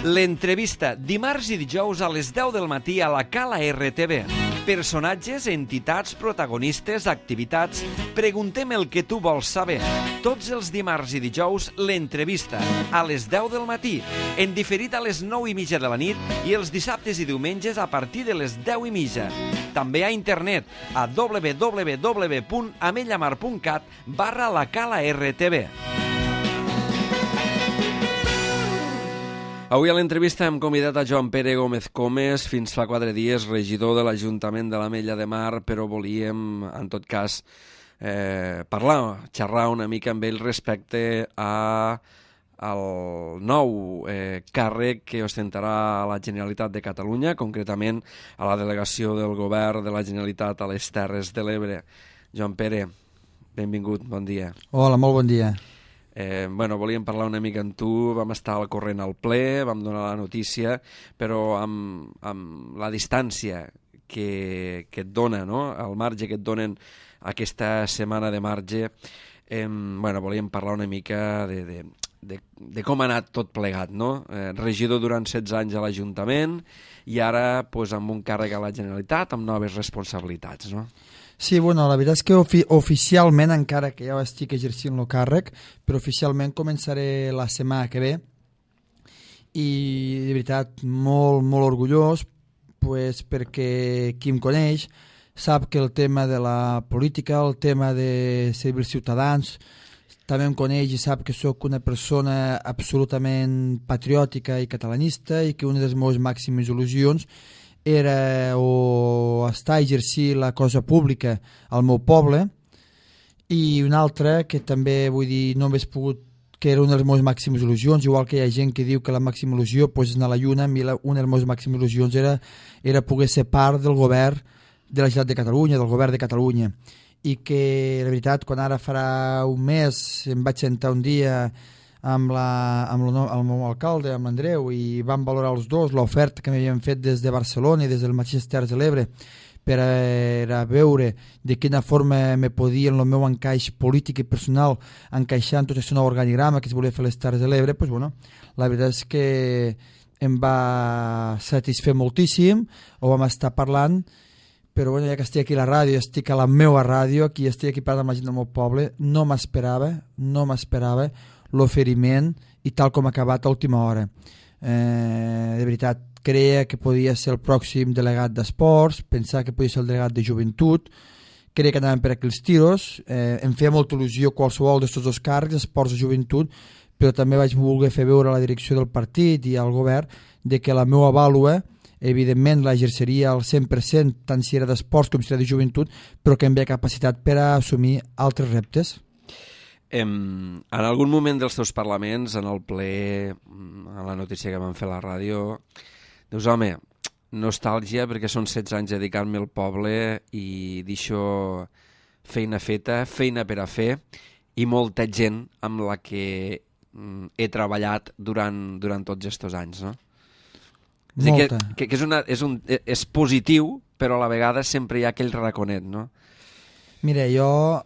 L'entrevista, dimarts i dijous a les 10 del matí a la Cala RTV. Personatges, entitats, protagonistes, activitats. Preguntem el que tu vols saber. Tots els dimarts i dijous, l'entrevista, a les 10 del matí, en diferit a les 9:30 de la nit i els dissabtes i diumenges a partir de les 10:30. També a internet a www.amellamar.cat/la Cala RTV. Avui a l'entrevista hem convidat a Joan Pere Gómez Comes, fins fa 4 dies regidor de l'Ajuntament de l'Ametlla de Mar, però volíem, en tot cas, xerrar una mica amb ell respecte al nou càrrec que ostentarà a la Generalitat de Catalunya, concretament a la delegació del Govern de la Generalitat a les Terres de l'Ebre. Joan Pere, benvingut, bon dia. Hola, molt bon dia. Volíem parlar una mica amb tu, vam estar al corrent al ple, vam donar la notícia, però amb la distància que et dona, no? El marge que et donen aquesta setmana de marge, volíem parlar una mica de com ha anat tot plegat, no? Regidor durant 16 anys a l'Ajuntament i ara amb un càrrec a la Generalitat amb noves responsabilitats, no? Sí, la veritat és que oficialment, encara que ja estic exercint el càrrec, però oficialment començaré la setmana que ve i de veritat molt, molt orgullós, perquè qui em coneix sap que el tema de la política, el tema de servir els ciutadans, també em coneix i sap que sóc una persona absolutament patriòtica i catalanista i que una de les meves màximes il·lusions era o estar a exercir la cosa pública al meu poble, i una altra que també vull dir no hauria pogut, que era una de les meves màximes il·lusions, igual que hi ha gent que diu que la màxima il·lusió és anar a la lluna. A mi una de les meves màximes il·lusions era poder ser part del govern de la Generalitat de Catalunya, del govern de Catalunya, i que la veritat quan ara farà un mes em vaig sentar un dia amb el meu alcalde, amb l'Andreu, i vam valorar els dos l'oferta que m'havien fet des de Barcelona i des del mateix Terres de l'Ebre per a veure de quina forma me podia en el meu encaix polític i personal encaixar en tot aquest nou organigrama que es volia fer a les Terres de l'Ebre. La veritat és que em va satisfer moltíssim, ho vam estar parlant, però ja que estic aquí a la ràdio, estic a la meva ràdio, aquí estic aquí parlant amb la gent del meu poble, no m'esperava l'oferiment i tal com ha acabat a última hora. De veritat, creia que podia ser el pròxim delegat d'esports, pensava que podia ser el delegat de joventut, creia que anàvem per aquí els tiros, em feia molta il·lusió qualsevol d'aquests dos càrrecs, esports o joventut, però també vaig voler fer veure a la direcció del partit i al govern de que la meva vàlua evidentment l'exerceria al 100%, tant si era d'esports com si era de joventut, però que em veia capacitat per a assumir altres reptes. En algun moment dels teus parlaments, en el ple, a la notícia que vam fer a la ràdio, dius, home, nostàlgia perquè són 16 anys dedicant-me al poble i d'això feina feta, feina per a fer i molta gent amb la que he treballat durant tots aquests anys, no? Molta. Que és positiu, però a la vegada sempre hi ha aquell raconet, no? Mira, jo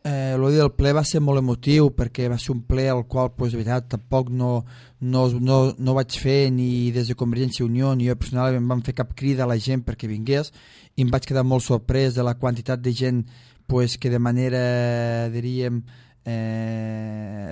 el dia del ple va ser molt emotiu perquè va ser un ple al qual de veritat tampoc no vaig fer ni des de Convergència i Unió ni jo personalment vam fer cap crida a la gent perquè vingués, i em vaig quedar molt sorprès de la quantitat de gent que de manera, diríem,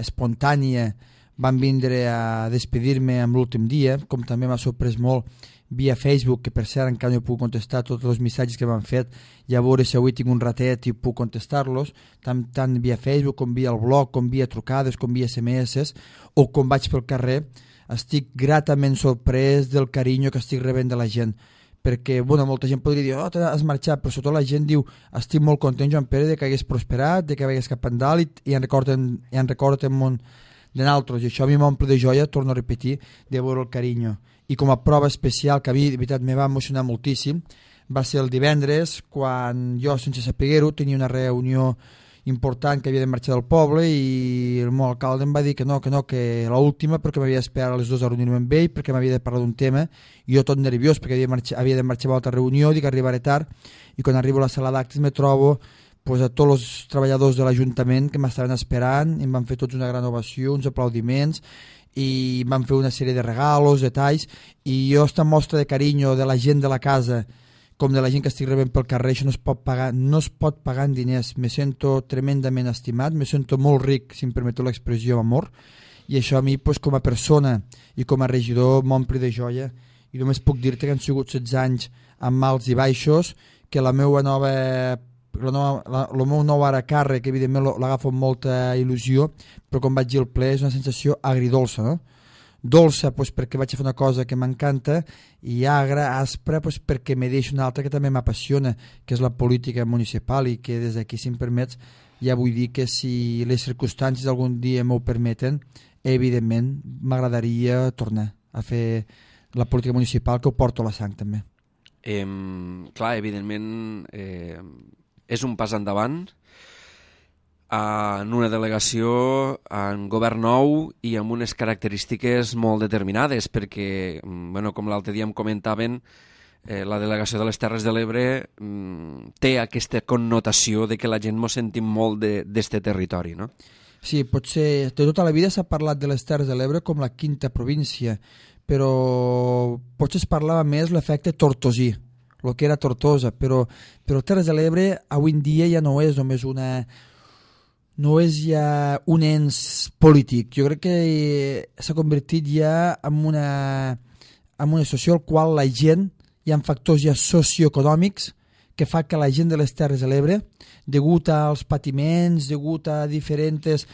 espontània van vindre a despedir-me en l'últim dia, com també m'ha sorprès molt via Facebook, que per cert encara no he pogut contestar tots els missatges que m'han fet, i a veure si avui tinc un ratet i puc contestar-los, tant via Facebook com via el blog, com via trucades, com via SMS, o com vaig pel carrer. Estic gratament sorprès del carinyo que estic rebent de la gent, perquè molta gent podria dir, has marxat, però sobretot la gent diu, estic molt content, Joan Pere, de que hagués prosperat, de que hagués cap endalt i en recorden món de naltros, i això a mi m'omple de joia, torno a repetir, de veure el carinyo. I com a prova especial, que a mi de veritat me va emocionar moltíssim, va ser el divendres, quan jo, sense saber-ho, tenia una reunió important que havia de marxar del poble i el meu alcalde em va dir que l'última, perquè m'havia d'esperar a les 2 a reunir-me amb ell, perquè m'havia de parlar d'un tema, i jo tot nerviós, perquè havia de marxar a l'altra reunió, dic que arribaré tard, i quan arribo a la sala d'actes me trobo a tots els treballadors de l'Ajuntament que m'estaven esperant, i em van fer tots una gran ovació, uns aplaudiments, i van fer una sèrie de regalos, detalls, i jo esta mostra de carinyo de la gent de la casa com de la gent que estic rebent pel carrer, això no es pot pagar en diners. Me sento tremendament estimat, me sento molt ric, si em permeteu l'expressió, amor, i això a mi pues, com a persona i com a regidor m'ompli de joia, i només puc dir-te que han sigut 16 anys amb alts i baixos, que el meu nou ara càrrec evidentment l'agafo amb molta il·lusió, però com vaig dir al ple és una sensació agridolça, no? Dolça pues, perquè vaig a fer una cosa que m'encanta, i agra, aspra pues, perquè me deixo una altra que també m'apassiona, que és la política municipal, i que des d'aquí, si em permets, ja vull dir que si les circumstàncies algun dia m'ho permeten, evidentment m'agradaria tornar a fer la política municipal, que ho porto a la sang també. Clar, evidentment és un pas endavant en una delegació, en govern nou i amb unes característiques molt determinades, perquè, bueno, com l'altre dia em comentaven, la delegació de les Terres de l'Ebre té aquesta connotació de que la gent mos sentim molt d'este territori, no? Sí, potser de tota la vida s'ha parlat de les Terres de l'Ebre com la quinta província, però potser es parlava més l'efecte tortosí, el que era Tortosa, però Terres de l'Ebre avui en dia ja no és només no és ja un ens polític. Jo crec que s'ha convertit ja en una situació al qual la gent, hi ha factors ja socioeconòmics que fa que la gent de les Terres de l'Ebre, degut als patiments, degut a diferents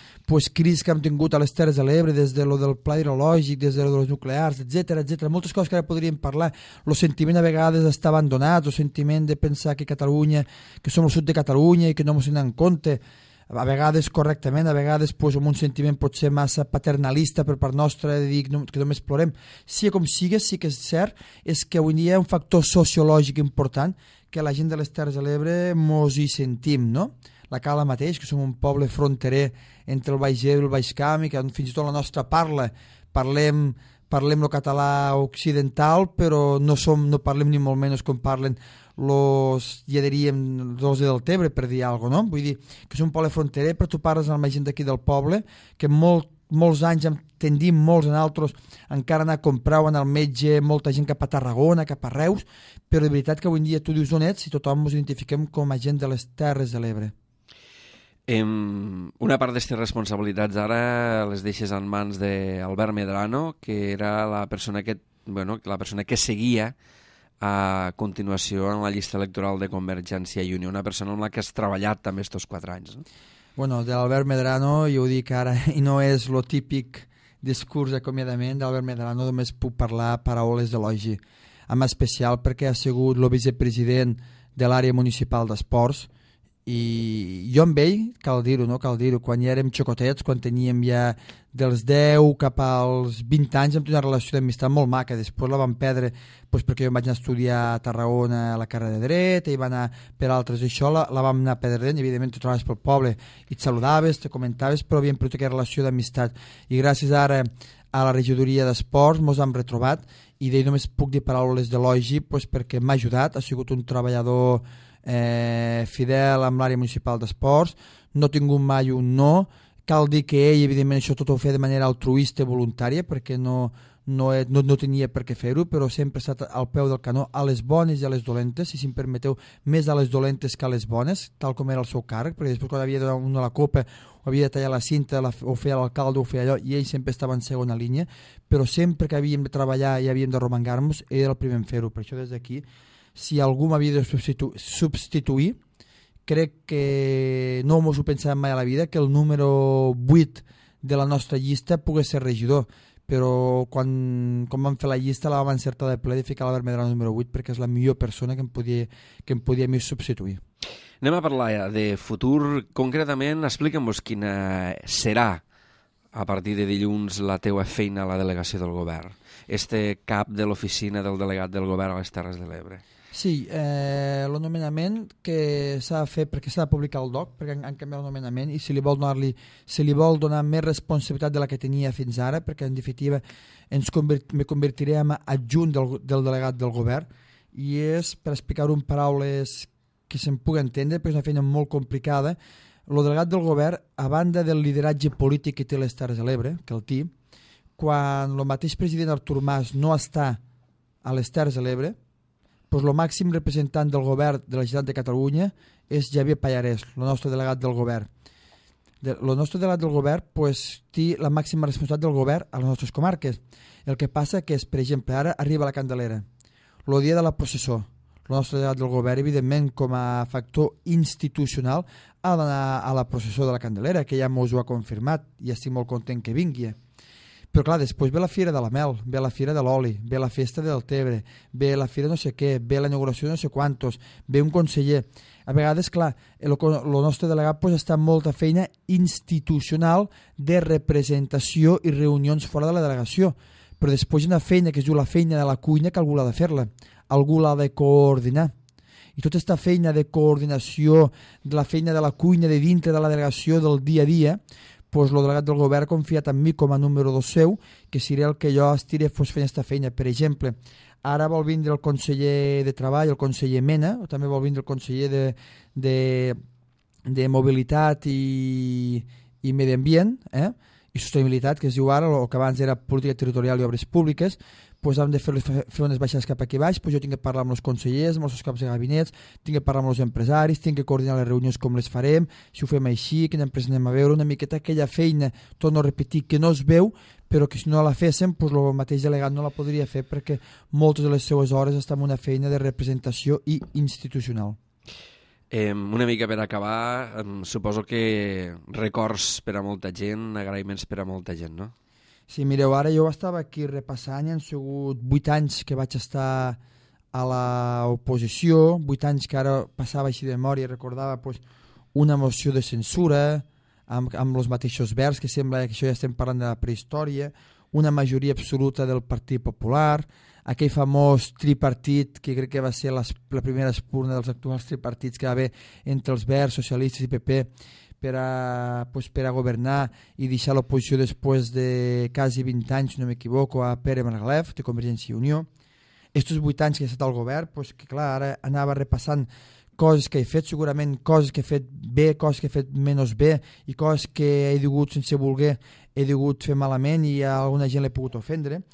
crisis que hem tingut a les Terres de l'Ebre, des de lo del pla hidrològic, des de lo dels nuclears, etc, moltes coses que ara podríem parlar, el sentiment a vegades d'estar abandonat, el sentiment de pensar que Catalunya, que som el sud de Catalunya i que no ens en compte, a vegades correctament, a vegades amb un sentiment potser massa paternalista per part nostra de dir que només plorem. Sí com sigui, sí que és cert, és que avui dia hi ha un factor sociològic important que la gent de les Terres de l'Ebre mos hi sentim, no? La Cala mateix, que som un poble fronterer entre el Baix Ebre i el Baix Camp, i que fins i tot la nostra parlem el català occidental, però no parlem ni molt menys com parlen ja diríem los del Tebre, per dir alguna cosa, no? Vull dir que és un poble fronterer, però tu parles amb la gent d'aquí del poble, que molts anys tendim molts en altres encara anar a comprar o anar al metge, molta gent cap a Tarragona, cap a Reus, però de veritat que avui en dia tu dius on ets i tothom ens identifiquem com a gent de les Terres de l'Ebre. Una part d'aquestes responsabilitats ara les deixes en mans d'Albert Medrano, que era la persona que seguia a continuació en la llista electoral de Convergència i Unió, una persona amb la que has treballat també aquests 4 anys. No? Bueno, de l'Albert Medrano, jo ho dic ara, i no és el típic discurs d'acomiadament, d'Albert Medrano només puc parlar paraules d'elogi, en especial perquè ha sigut el vicepresident de l'àrea municipal d'esports, i jo amb ell, cal dir-ho, quan ja érem xocotets, quan teníem ja dels 10 cap als 20 anys, vam tenir una relació d'amistat molt maca. Després la vam perdre perquè jo em vaig anar a estudiar a Tarragona a la carrera de dret, ell va anar per altres, i això la vam anar perdent. Evidentment tu trobaves pel poble i et saludaves, te comentaves, però havíem perdut aquella relació d'amistat, i gràcies ara a la regidoria d'esports mos hem retrobat, i d'ell només puc dir paraules d'elogi perquè m'ha ajudat, ha sigut un treballador fidel amb l'àrea municipal d'esports, no ha tingut mai un no. Cal dir que ell, evidentment, això tot ho feia de manera altruista i voluntària, perquè no tenia per què fer-ho, però sempre ha estat al peu del canó a les bones i a les dolentes, i si em permeteu, més a les dolentes que a les bones, tal com era el seu càrrec, perquè després quan havia de donar la copa o havia de tallar la cinta, o feia l'alcalde o feia allò, i ell sempre estava en segona línia, però sempre que havíem de treballar i havíem de romangar-nos, ell era el primer en fer-ho. Per això des d'aquí, si algú m'havia de substituir, crec que no m'ho pensàvem mai a la vida, que el número 8 de la nostra llista pogués ser regidor, però quan vam fer la llista la vam encertar de ple de ficar l'Albert Medrano número 8, perquè és la millor persona que em podia a mi substituir. Anem a parlar de futur. Concretament, explica'm-vos quina serà a partir de dilluns la teua feina a la delegació del govern, cap de l'oficina del delegat del govern a les Terres de l'Ebre. Sí, el nomenament que s'ha de fer, perquè s'ha de publicar el DOC, perquè han canviat el nomenament, i se li vol donar més responsabilitat de la que tenia fins ara, perquè en definitiva me convertiré en adjunt del delegat del govern, i és, per explicar-ho en paraules que se'n pugui entendre, perquè és una feina molt complicada. El delegat del govern, a banda del lideratge polític que té les Terres de l'Ebre, que el té, quan el mateix president Artur Mas no està a les Terres de l'Ebre, doncs el màxim representant del govern de la Generalitat de Catalunya és Javier Pallarès, el nostre delegat del govern. El nostre delegat del govern té la màxima responsabilitat del govern a les nostres comarques. El que passa que és, per exemple, ara arriba la Candelera, el dia de la processó. El nostre delegat del govern, evidentment, com a factor institucional, ha d'anar a la processó de la Candelera, que ja mos ho ha confirmat i estic molt content que vingui. Però clar, després ve la Fira de la Mel, ve la Fira de l'Oli, ve la Festa del Tebre, ve la Fira no sé què, ve la inauguració de no sé quantos, ve un conseller. A vegades, clar, el nostre delegat està amb molta feina institucional de representació i reunions fora de la delegació, però després hi ha una feina que es diu la feina de la cuina que algú l'ha de fer-la, algú l'ha de coordinar. I tota aquesta feina de coordinació, de la feina de la cuina de dintre de la delegació del dia a dia, doncs el delegat del govern ha confiat en mi com a número 2 seu, que seré el que jo estiré fent aquesta feina. Per exemple, ara vol vindre el conseller de Treball, el conseller Mena, o també vol vindre el conseller de Mobilitat i Medi Ambient, i Sostenibilitat, que es diu ara, el que abans era Política Territorial i Obres Públiques. Doncs hem de fer unes baixades cap aquí baix, doncs jo tinc que parlar amb els consellers, amb els seus caps de gabinets, tinc que parlar amb els empresaris, tinc que coordinar les reunions com les farem, si ho fem així, quina empresa anem a veure, una miqueta aquella feina, torno a repetir, que no es veu, però que si no la féssim, doncs el mateix delegat no la podria fer perquè moltes de les seues hores estan en una feina de representació i institucional. Una mica per acabar, suposo que records per a molta gent, agraïments per a molta gent, no? Sí, mireu, ara jo estava aquí repassant i han sigut 8 anys que vaig estar a l'oposició, 8 anys que ara passava així de memòria i recordava una moció de censura amb els mateixos verbs, que sembla que això ja estem parlant de la prehistòria, una majoria absoluta del Partit Popular, aquell famós tripartit que crec que va ser la primera espurna dels actuals tripartits que va haver entre els Verds, socialistes i PP, per a governar i deixar l'oposició després de quasi 20 anys, si no m'equivoco, a Pere Margalef, de Convergència i Unió. Estos 8 anys que he estat al govern, que clar, ara anava repassant coses que he fet, segurament coses que he fet bé, coses que he fet menys bé i coses que he degut, sense voler, he degut fer malament i a alguna gent l'he pogut ofendre,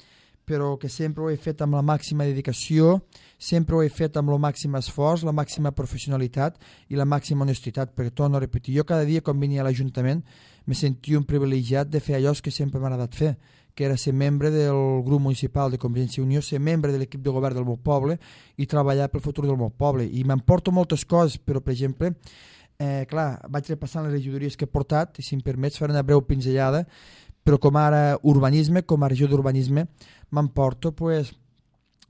però que sempre ho he fet amb la màxima dedicació, sempre ho he fet amb el màxim esforç, la màxima professionalitat i la màxima honestitat, perquè torno a repetir, jo cada dia quan venia a l'Ajuntament me sentia un privilegiat de fer allò que sempre m'ha agradat fer, que era ser membre del grup municipal de Convergència i Unió, ser membre de l'equip de govern del meu poble i treballar pel futur del meu poble. I m'emporto moltes coses, però per exemple, clar, vaig repassant les regidories que he portat i si em permets fer una breu pinzellada, però com ara urbanisme, com a regió d'urbanisme, m'emporto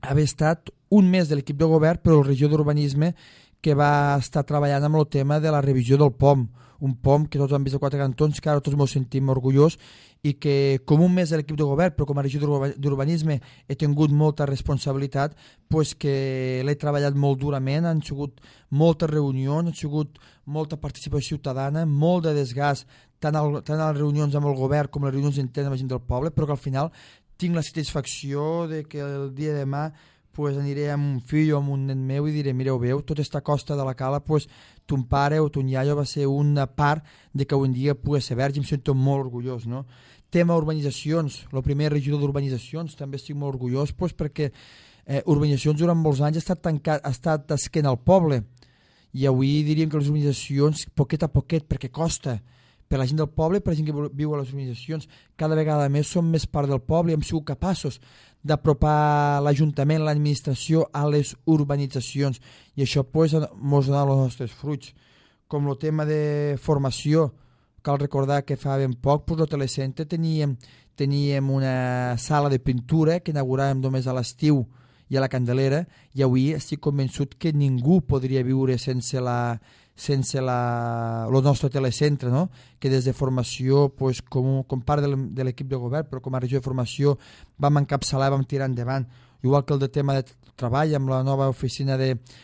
haver estat un mes de l'equip de govern, però la regió d'urbanisme que va estar treballant amb el tema de la revisió del POM, un POM que tots han vist a 4 cantons, que ara tots ens sentim orgullós i que com un mes de l'equip de govern, però com a regió d'urbanisme he tingut molta responsabilitat, que l'he treballat molt durament, han sigut moltes reunions, han sigut molta participació ciutadana, molt de desgast, tant a les reunions amb el govern com a les reunions internes amb la gent del poble, però que al final tinc la satisfacció de que el dia de demà aniré amb un fill o amb un nen meu i diré, mireu, veu, tota aquesta costa de la Cala, ton pare o ton iaio va ser una part de que un dia pugui ser verge, em sento molt orgullós, no? Tema urbanitzacions, el primer regidor d'urbanitzacions, també estic molt orgullós, perquè urbanitzacions durant molts anys ha estat esquena al poble, i avui diríem que les urbanitzacions, poquet a poquet, perquè costa, per la gent del poble i per la gent que viu a les urbanitzacions, cada vegada més som més part del poble i hem sigut capaços d'apropar l'Ajuntament, l'administració a les urbanitzacions i això ens dona els nostres fruits. Com el tema de formació, cal recordar que fa ben poc, al Telecentre teníem una sala de pintura que inauguràvem només a l'estiu i a la Candelera i avui estic convençut que ningú podria viure sense el nostre telecentre, no? Que des de formació, com part de l'equip de govern, però com a regió de formació vam encapçalar, vam tirar endavant, igual que el de tema de treball amb la nova oficina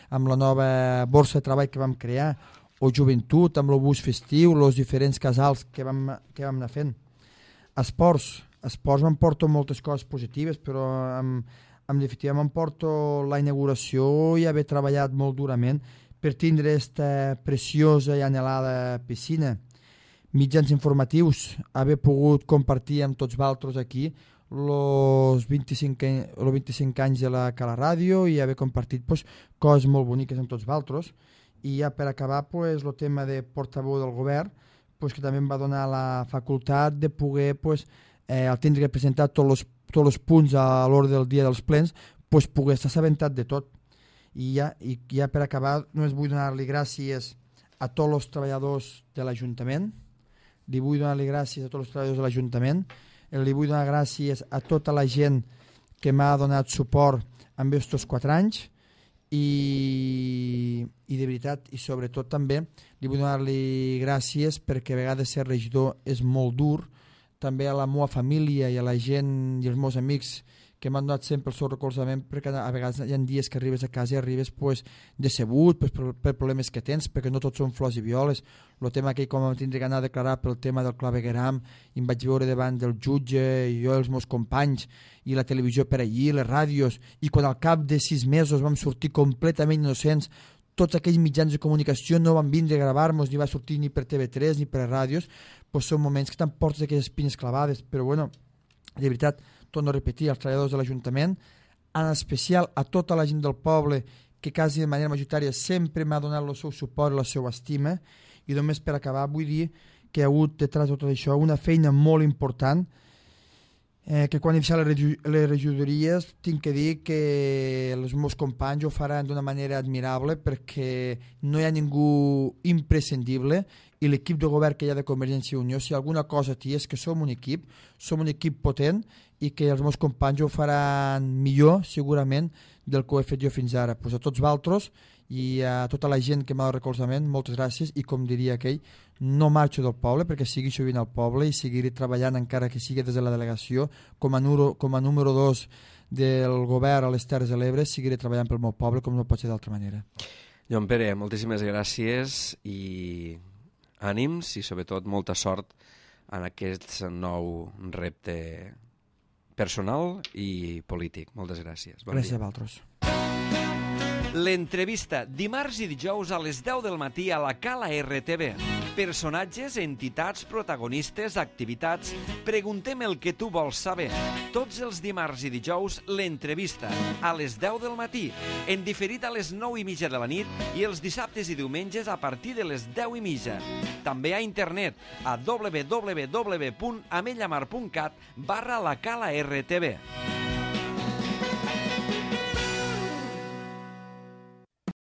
amb la nova borsa de treball que vam crear, o joventut amb el bus festiu, els diferents casals que vam anar fent. Esports m'emporto moltes coses positives, però en definitiva m'emporto la inauguració i haver treballat molt durament per tindre aquesta preciosa i anhelada piscina. Mitjans informatius, haver pogut compartir amb tots vosaltres aquí los 25 anys de la Cala Ràdio i haver compartit pues, coses molt boniques amb tots vosaltres. I ja per acabar, pues, el tema de portaveu del govern, pues, que també em va donar la facultat de poder, pues, al tindre que presentar tots els punts a l'ordre del dia dels plens, pues, poder estar assabentat de tot. I ja per acabar, només vull donar-li gràcies a tots els treballadors de l'Ajuntament, li vull donar gràcies a tots els treballadors de l'Ajuntament, li vull donar gràcies a tota la gent que m'ha donat suport en aquests 4 anys i de veritat, i sobretot també li vull donar-li gràcies perquè a vegades ser regidor és molt dur, també a la meva família i a la gent i els meus amics que m'han donat sempre el seu recolzament, perquè a vegades hi ha dies que arribes a casa i arribes pues, decebut pues, per problemes que tens, perquè no tots són flors i violes. El tema que com em tindré que anar a declarar pel tema del clavegueram i em vaig veure davant del jutge i jo i els meus companys i la televisió per allí, les ràdios, i quan al cap de 6 mesos vam sortir completament innocents, tots aquells mitjans de comunicació no van vindre a gravar-nos, ni va sortir ni per TV3 ni per ràdios, pues són moments que t'emportes aquelles espines clavades, però bueno, de veritat, torno a repetir, als treballadors de l'Ajuntament, en especial a tota la gent del poble que quasi de manera majoritària sempre m'ha donat el seu suport i la seva estima, i només per acabar vull dir que hi ha hagut detrás de tot això una feina molt important, que quan he deixat les regidories tinc que dir que els meus companys ho faran d'una manera admirable perquè no hi ha ningú imprescindible i l'equip de govern que hi ha de Convergència i Unió, si alguna cosa té és que som un equip potent i que els meus companys ho faran millor segurament del que ho he fet jo fins ara. Pues a tots vosaltres i a tota la gent que m'ha donat recolzament, moltes gràcies, i com diria aquell, no marxo del poble perquè segueixo vivint al poble i seguiré treballant encara que sigui des de la delegació com a número 2 del govern a les Terres de l'Ebre, seguiré treballant pel meu poble com no pot ser d'altra manera. Joan Pere, moltíssimes gràcies i ànims i sobretot molta sort en aquest nou repte personal i polític. Moltes gràcies. Bon gràcies dia. a vosaltres. L'entrevista, dimarts i dijous a les 10 del matí a la Cala RTV. Personatges, entitats, protagonistes, activitats... Preguntem el que tu vols saber. Tots els dimarts i dijous, l'entrevista, a les 10 del matí, en diferit a les 9:30 de la nit i els dissabtes i diumenges a partir de les 10:30. També a internet, a www.amellamar.cat/la Cala RTV.